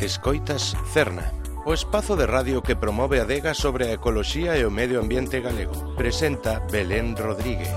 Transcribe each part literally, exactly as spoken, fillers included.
Escoitas Cerna, o espazo de radio que promove a adega sobre a ecoloxía e o medio ambiente galego. Presenta Belén Rodríguez.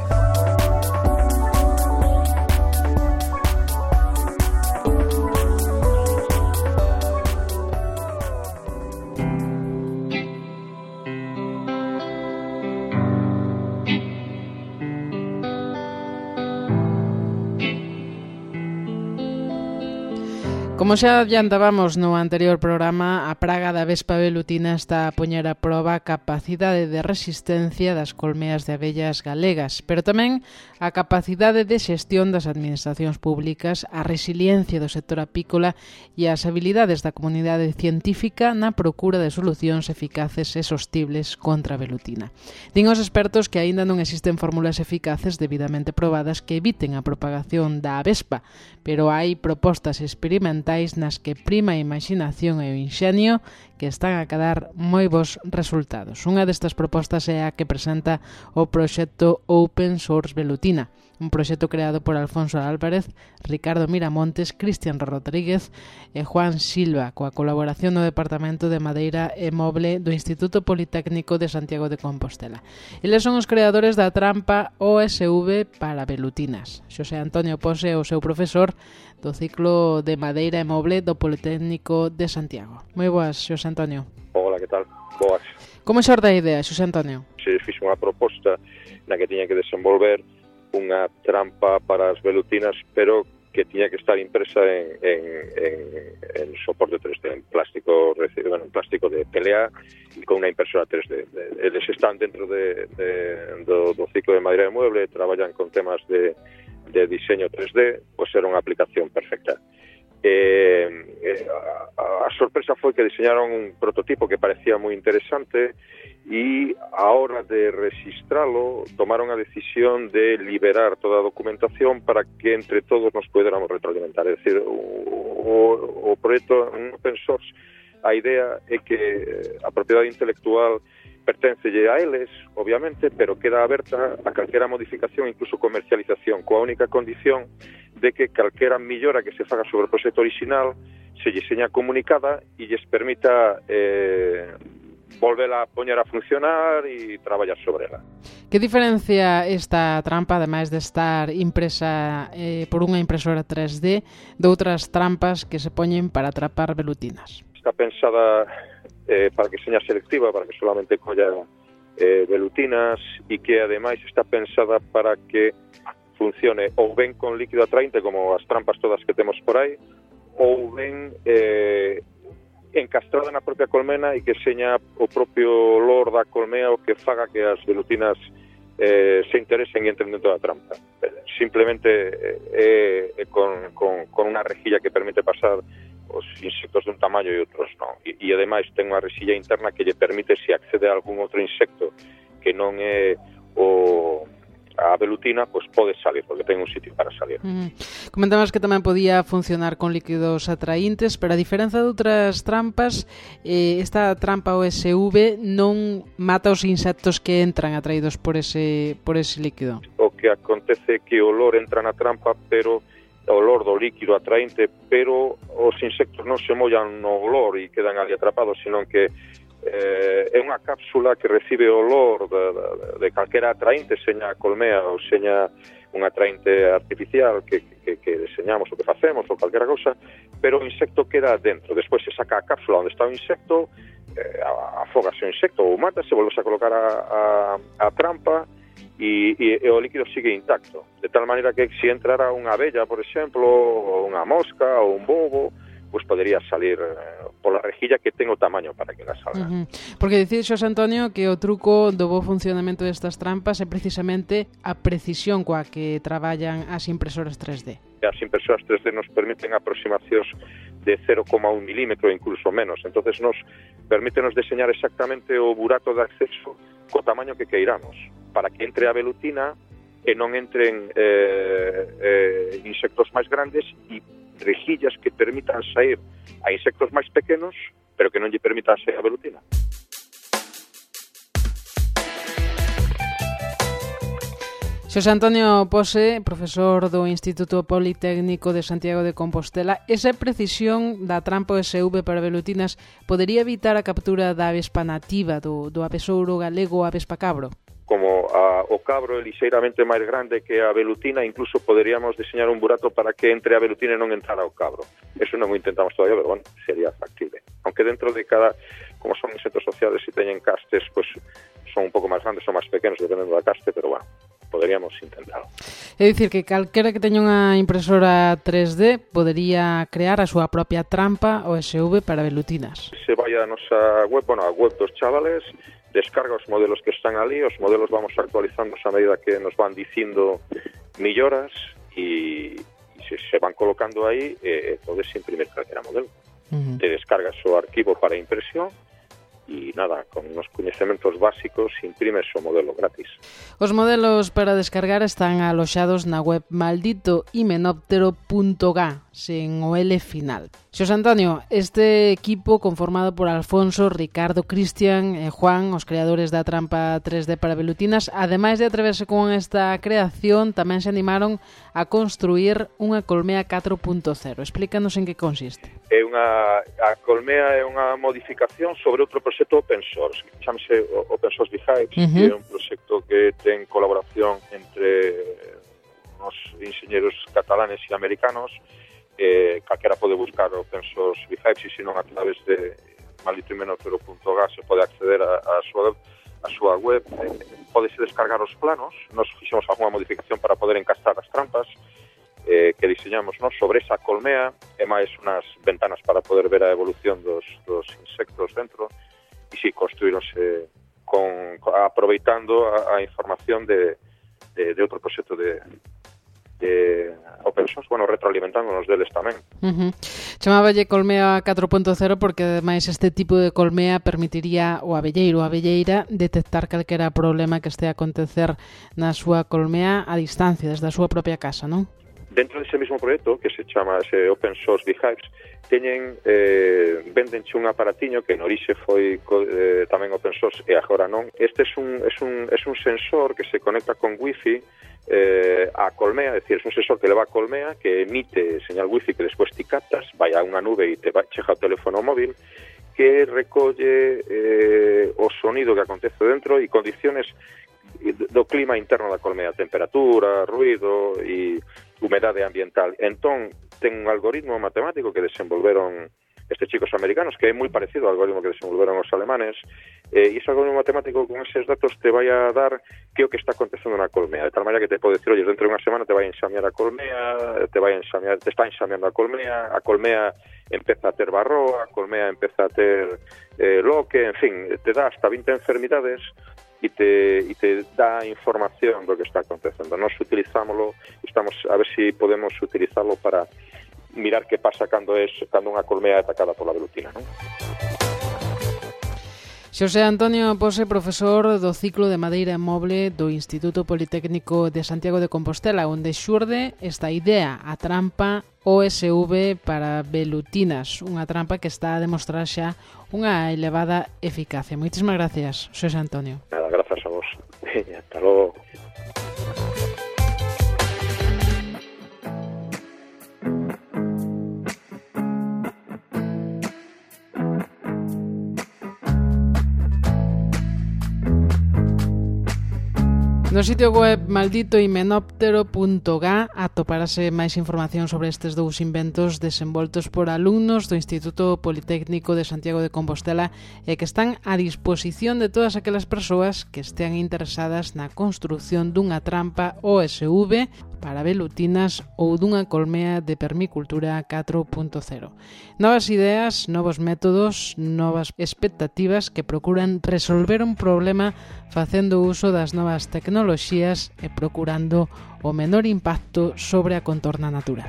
Como xa adiantábamos no anterior programa, a praga da vespa velutina está a poñer a proba a capacidade de resistencia das colmeas de abellas galegas, pero tamén a capacidade de xestión das administracións públicas, a resiliencia do sector apícola e as habilidades da comunidade científica na procura de solucións eficaces e sostibles contra a velutina. Din os expertos que aínda non existen fórmulas eficaces debidamente probadas que eviten a propagación da vespa, pero hai propostas experimentais nas que prima a imaginación e o inxenio que están a cadar moi bons resultados. Unha destas propostas é a que presenta o proxecto Open Source Velutina, un proxecto creado por Alfonso Álvarez, Ricardo Miramontes, Cristian Rodríguez e Juan Silva, coa colaboración do Departamento de Madeira e Moble do Instituto Politécnico de Santiago de Compostela. Eles son os creadores da trampa O S V para velutinas. Xosé Antonio Pose é o seu profesor do ciclo de Madeira e Moble do Politécnico de Santiago. Moi boas, Xosé Antonio. Hola, que tal? Boas. Como xorda a idea, Xosé Antonio? Se fixe unha proposta na que tiña que desenvolver unha trampa para as velutinas, pero que tiña que estar impresa en, en, en, en soporte tres D, en plástico, bueno, en plástico de P L A e con unha impresora tres D. Eles están dentro de, de, do, do ciclo de Madeira e Mueble, traballan con temas de, de diseño tres D, pois era unha aplicación perfecta. Eh, eh, a, a sorpresa foi que diseñaron un prototipo que parecía moi interesante e a hora de registralo tomaron a decisión de liberar toda a documentación para que entre todos nos poderamos retroalimentar. É dicir, o, o, o proxecto Open Source, a idea é que a propiedade intelectual perténcelle a eles, obviamente, pero queda aberta a calquera modificación, incluso comercialización, coa única condición de que calquera millora que se faga sobre o proxecto original se lle seña comunicada e lles permita eh, volvela a poñer a funcionar e traballar sobre ela. Que diferencia esta trampa, ademais de estar impresa eh, por unha impresora tres D, de outras trampas que se poñen para atrapar velutinas? Está pensada eh, para que seña selectiva, para que solamente colla eh, velutinas e que ademais está pensada para que funcione ou ben con líquido atraínte, como as trampas todas que temos por aí, ou ben eh, encastrada na propia colmena e que seña o propio olor da colmea o que faga que as velutinas eh, se interesen e entren dentro da trampa. Simplemente eh, eh, con, con, con unha rejilla que permite pasar os insectos dun tamaño e outros non. E, e ademais ten unha rexilla interna que lle permite, se accede a algún outro insecto que non é o a velutina, pois pode salir, porque ten un sitio para salir. Mm. Comentamos que tamén podía funcionar con líquidos atraíntes, pero a diferenza de outras trampas, eh, esta trampa O S V non mata os insectos que entran atraídos por ese, por ese líquido. O que acontece é que o olor entra na trampa, pero o olor do líquido atraínte, pero os insectos non se mollan no olor e quedan ali atrapados, senón que Eh, é unha cápsula que recibe o olor de, de, de calquera atraínte, seña a colmea ou seña un atraínte artificial que, que, que deseñamos ou que facemos ou calquera cousa, pero o insecto queda dentro. Despois se saca a cápsula onde está o insecto, eh, afogase o insecto ou mata, se volve a colocar a, a, a trampa e, e, e o líquido sigue intacto, de tal maneira que se entrara unha abella, por exemplo, ou unha mosca ou un bobo, pois podería salir eh, pola rejilla que ten o tamaño para que la salga. Uh-huh. Porque dicir, Xosé Antonio, que o truco do bo funcionamento destas trampas é precisamente a precisión coa que traballan as impresoras tres D. As impresoras tres D nos permiten aproximacións de cero coma un milímetro, incluso menos. Entonces nos permítenos deseñar exactamente o burato de acceso co tamaño que queiramos, para que entre a velutina e non entren eh, eh, insectos máis grandes e rejillas que permitan sair a insectos máis pequenos, pero que non lle permitan sair a velutina. Xosé Antonio Pose, profesor do Instituto Politécnico de Santiago de Compostela, esa precisión da trampa O S V para velutinas podería evitar a captura da avespa nativa, do, do avesouro galego, a avespa cabro? Como a, o cabro é lixeiramente máis grande que a velutina, incluso poderíamos diseñar un burato para que entre a velutina e non entrara o cabro. Eso non o intentamos todavía, pero bueno, sería factible. Aunque dentro de cada, como son insectos sociales e teñen castes, pues son un pouco máis grandes, son máis pequenos, dependendo da caste, pero bueno, poderíamos intentarlo. É dicir, que calquera que teña unha impresora tres D podería crear a súa propia trampa O S V para velutinas. Se vai a nosa web, bueno, a web dos chavales, descarga os modelos que están ali, os modelos vamos actualizando a medida que nos van dicindo melloras e, e se, se van colocando aí, eh, podes imprimir calquera modelo. Uh-huh. Te descargas o arquivo para impresión e nada, con unos coñecementos básicos imprimes o modelo gratis. Os modelos para descargar están aloxados na web maldito himenóptero punto ga, sen o L final. Xosé Antonio, este equipo conformado por Alfonso, Ricardo, Cristian e Juan, os creadores da trampa tres D para velutinas, ademais de atreverse con esta creación, tamén se animaron a construir unha colmea catro punto cero. Explícanos en que consiste. É unha, a colmea é unha modificación sobre outro proxecto open source, que chamase Open Source Beehives, uh-huh. que é un proxecto que ten colaboración entre os enxeñeros catalanes e americanos. Eh, calquera pode buscar Open Source Beehives e se non a través de maldito himenóptero punto ga se pode acceder a, a súa a súa web. Eh, podese descargar os planos. Nos fixemos algunha modificación para poder encastar as trampas eh, que diseñamos, ¿no?, sobre esa colmea e máis unhas ventanas para poder ver a evolución dos, dos insectos dentro. E si, construíronse con, aproveitando a, a información de, de, de outro proxecto de de open source, bueno, retroalimentándonos deles tamén. Uh-huh. Chamáballe colmea catro punto cero porque ademais este tipo de colmea permitiría o abelleiro ou abelleira detectar calquera problema que este a acontecer na súa colmea a distancia, desde a súa propia casa, non? Dentro dese mesmo proxecto, que se chama ese Open Source Beehives, teñen, eh, vendenche un aparatiño que no orixe foi eh, tamén open source e agora non. Este é un, é un, é un sensor que se conecta con wifi eh, a colmea, é dicir, é un sensor que leva a colmea que emite señal wifi que despois ti captas, vai a unha nube e te vai, chega o teléfono móvil que recolle eh, o sonido que acontece dentro e condiciones do clima interno da colmea, temperatura, ruido e humedade ambiental. Entón, ten un algoritmo matemático que desenvolveron estes chicos americanos, que é moi parecido ao algoritmo que desenvolveron os alemanes, eh, e ese algoritmo matemático con eses datos te vai a dar que o que está acontecendo na colmea, de tal maneira que te pode decir, oye, dentro de unha semana te vai a enxamear a colmea, te vai a enxamear, te está enxameando a colmea, a colmea empeza a ter barroa, a colmea empeza a ter eh, loque, en fin, te dá hasta vinte enfermidades e te, e te dá información do que está acontecendo. Nos utilizámoslo, estamos a ver se si podemos utilizarlo para mirar que pasa cando é cando unha colmea é atacada pola velutina, non? Xosé Antonio Pose, profesor do ciclo de madeira moble do Instituto Politécnico de Santiago de Compostela, onde xurde esta idea, a trampa O S V para velutinas, unha trampa que está a demostrar xa unha elevada eficacia. Moitísimas gracias, Xosé Antonio. Nada, grazas a vos. Hasta logo. No sitio web maldito himenóptero punto ga atoparase máis información sobre estes dous inventos desenvoltos por alumnos do Instituto Politécnico de Santiago de Compostela e que están a disposición de todas aquelas persoas que estean interesadas na construción dunha trampa O S V para velutinas ou dunha colmea de permicultura catro punto cero. Novas ideas, novos métodos, novas expectativas que procuran resolver un problema facendo uso das novas tecnoloxías e procurando o menor impacto sobre a contorna natural.